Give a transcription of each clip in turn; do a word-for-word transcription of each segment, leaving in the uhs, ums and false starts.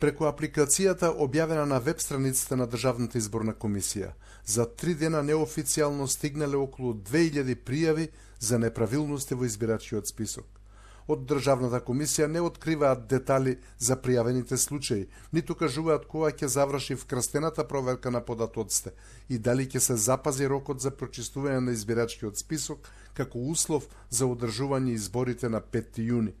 Преку апликацијата објавена на веб страницата на Државната изборна комисија, за три дена неофицијално стигнале околу две илјади пријави за неправилности во избирачкиот список. Од Државната комисија не откриваат детали за пријавените случаи, ниту кажуваат кога ќе заврши вкрстената проверка на податоците и дали ќе се запази рокот за прочистување на избирачкиот список како услов за одржување изборите на петти јуни.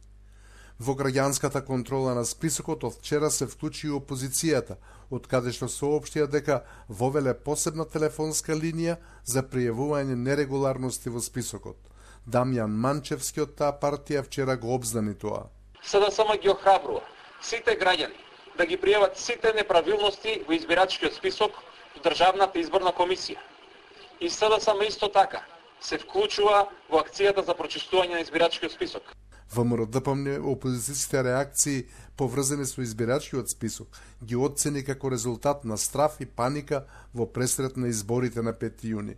Во граѓанската контрола на списокот од вчера се вклучи и опозицијата, од каде што соопштија дека вовеле посебна телефонска линија за пријавување нерегуларности во списокот. Дамјан Манчевски од таа партија вчера го обзнани тоа. СДСМ ги охрабрува сите граѓани да ги пријават сите неправилности во избирачкиот список во Државната изборна комисија. И СДСМ исто така се вклучува во акцијата за прочистување на избирачкиот список. ВМРО ДПМН опозицијските реакции поврзани со избирачкиот список ги оцени како резултат на страф и паника во пресред на изборите на петти јуни.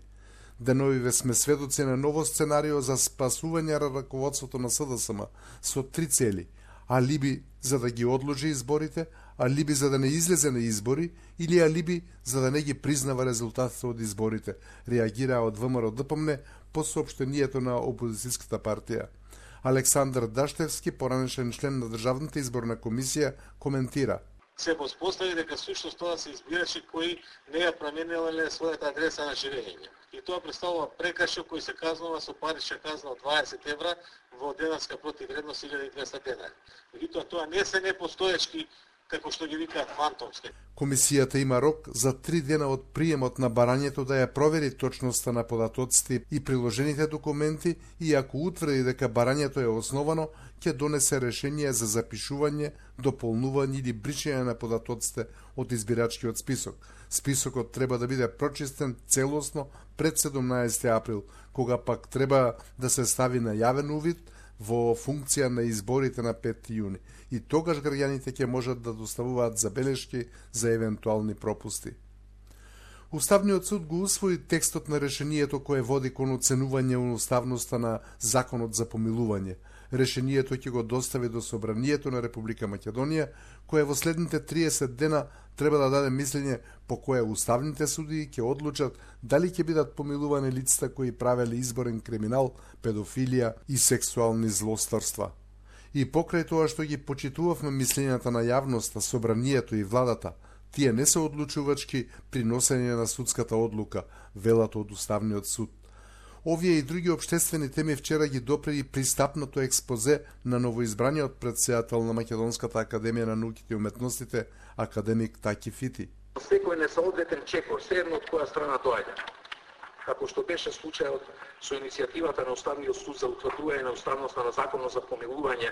Деновиве сме сведоци на ново сценарио за спасување на раководството на СДСМ со три цели: алиби за да ги одложи изборите, алиби за да не излезе на избори или алиби за да не ги признава резултатите од изборите, реагираа од ВМРО ДПМН по соопштението на опозицијската партија. Александар Даштевски, поранешен член на Државната изборна комисија, коментира: се воспостави дека сушност тоа се избирачи кои не ја промениле својата адреса на живење. И тоа представува прекршок кој се казнува со парична казна од дваесет евра во денарска противвредност илјада и двесте денари. Меѓутоа тоа не се непостоечки, како што ги викаат фантомски. Комисијата има рок за три дена од приемот на барањето да ја провери точноста на податоците и приложените документи и ако утврди дека барањето е основано, ќе донесе решение за запишување, дополнување или бришење на податоците од избирачкиот список. Списокот треба да биде прочистен целосно пред седумнаесети април, кога пак треба да се стави на јавен увид во функција на изборите на петти јуни. И тогаш граѓаните ќе можат да доставуваат забелешки за евентуални пропусти. Уставниот суд го усвои текстот на решението кое води кон оценување уставноста на Законот за помилување. Решението ќе го достави до Собранието на Република Македонија, кое во следните триесет дена треба да даде мислење по кое уставните судии ќе одлучат дали ќе бидат помилувани лицата кои правеле изборен криминал, педофилија и сексуални злостарства. И покрај тоа што ги почитувавме мислењата на јавноста, Собранието и владата, тие не се одлучувачки при носење на судската одлука, велато од Уставниот суд. Овие и други обштествени теми вчера ги допре и пристапното експозе на новоизбраниот претседател на Македонската академија на науките и уметностите, академик Таки Фити. Секој несоодветен чекор, се едно од која страна доаѓа. Како што беше случајот со иницијативата на Уставниот суд за утврдување на уставноста на Законот за помилување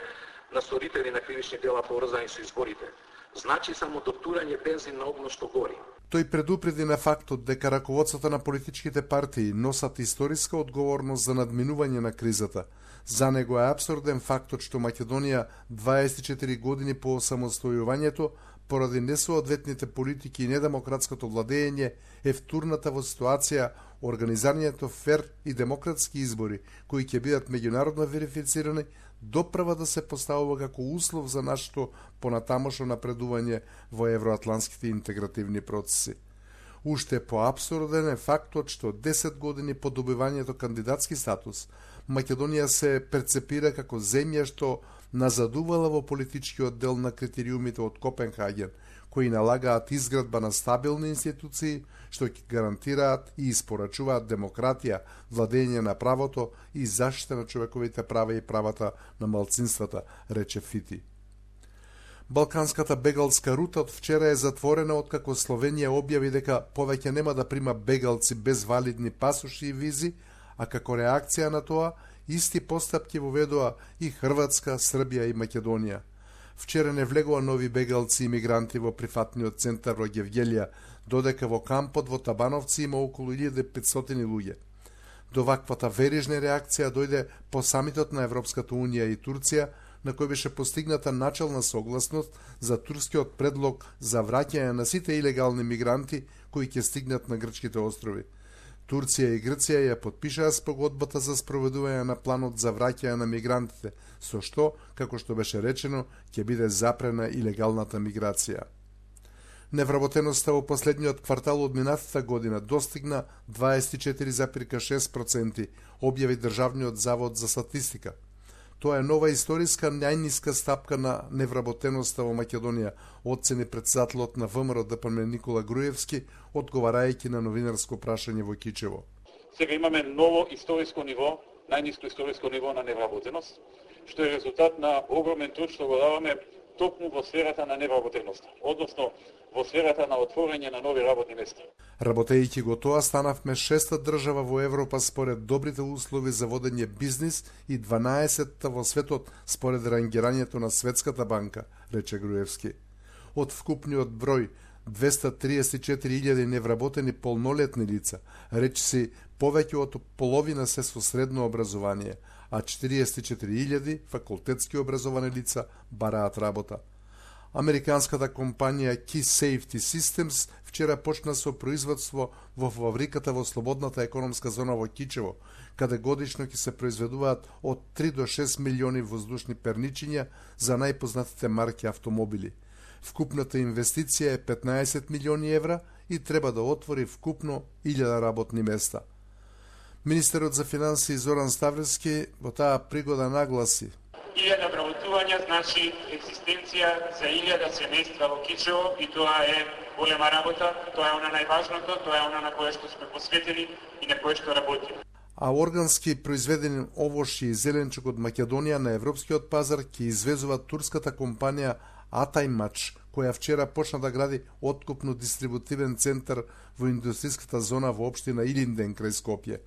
на сторители на кривични дела поврзани со изборите. Значи само доктурање бензин на огно што гори. Тој предупреди на фактот дека раководството на политичките партии носат историска одговорност за надминување на кризата. За него е апсурден фактот што Македонија дваесет и четири години по осамостојувањето поради несоодветните политики и недемократското владење е втурната во ситуација организирањето фер и демократски избори, кои ќе бидат меѓународно верифицирани, доправа да се поставува како услов за нашето понатамошно напредување во евроатланските интегративни процеси. Уште поапсурден е фактот што десет години по добивањето кандидатски статус, Македонија се перцепира како земја што назадувала во политичкиот дел на критериумите од Копенхаген, кои налагаат изградба на стабилни институции што ќе гарантираат и испорачуваат демократија, владење на правото и заштита на човековите права и правата на малцинствата, рече Фити. Балканската бегалска рута од вчера е затворена откако Словенија објави дека повеќе нема да прима бегалци без валидни пасоши и визи, а како реакција на тоа исти постапки воведоа и Хрватска, Србија и Македонија. Вчера не влегоа нови бегалци и мигранти во прифатниот центар во Гевгелија, додека во кампот во Табановци има околу илјада и петстотини луѓе. До ваквата верижна реакција дојде по самитот на Европската унија и Турција, на кој беше постигната начална согласност за турскиот предлог за враќање на сите илегални мигранти кои ќе стигнат на грчките острови. Турција и Грција ја потпишаа спогодбата за спроведување на планот за враќање на мигрантите, со што, како што беше речено, ќе биде запрена илегалната миграција. Невработеноста во последниот квартал од минатата година достигна дваесет и четири зарез шест проценти, објави Државниот завод за статистика. Тоа е нова историска најниска стапка на невработеноста во Македонија, оцени претседателот на ВМРО Д П М Никола Груевски, одговарајќи на новинарско прашање во Кичево. Сега имаме ново историско ниво, најниско историско ниво на невработеност, што е резултат на огромен труд што го даваме токму во сферата на невработеноста, односно во сферата на отворање на нови работни места. Работејќи го тоа, станавме шеста држава во Европа според добрите услови за водење бизнис и дванаесетта во светот според рангирањето на Светската банка, рече Груевски. Од вкупниот број двеста триесет и четири илјади невработени полнолетни лица, речиси повеќе од половина се со средно образование, а четириесет и четири илјади факултетски образовани лица бараат работа. Американската компанија Key Safety Systems вчера почна со производство во фабриката во слободната економска зона во Кичево, каде годишно ќе се произведуваат од три до шест милиони воздушни перничиња за најпознатите марки автомобили. Вкупната инвестиција е петнаесет милиони евра и треба да отвори вкупно илјада работни места. Министерот за финансии Зоран Ставревски во таа пригода нагласи: илјада вработувања значи екзистенција за илјада семејства во Кичево и тоа е голема работа, тоа е она најважното, тоа е она на кое што сме посветени и на кое што работиме. А органски произведени овошји и зеленчук од Македонија на европскиот пазар ќе извезува турската компанија Атајмач, која вчера почна да гради откупно дистрибутивен центар во индустријската зона во општина Илинден крај Скопје.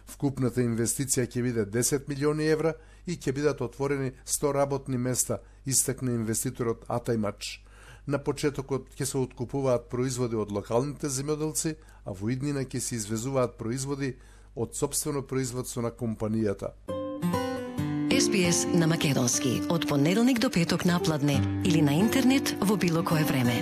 Вкупната инвестиција ќе биде десет милиони евра и ќе бидат отворени сто работни места, истакна инвеститорот Атајмач. На почетокот ќе се откупуваат производи од локалните земјоделци, а во иднина ќе се извезуваат производи од сопствено производство на компанијата. Ес Би Ес на македонски, од понеделник до петок напладне или на интернет во било кое време.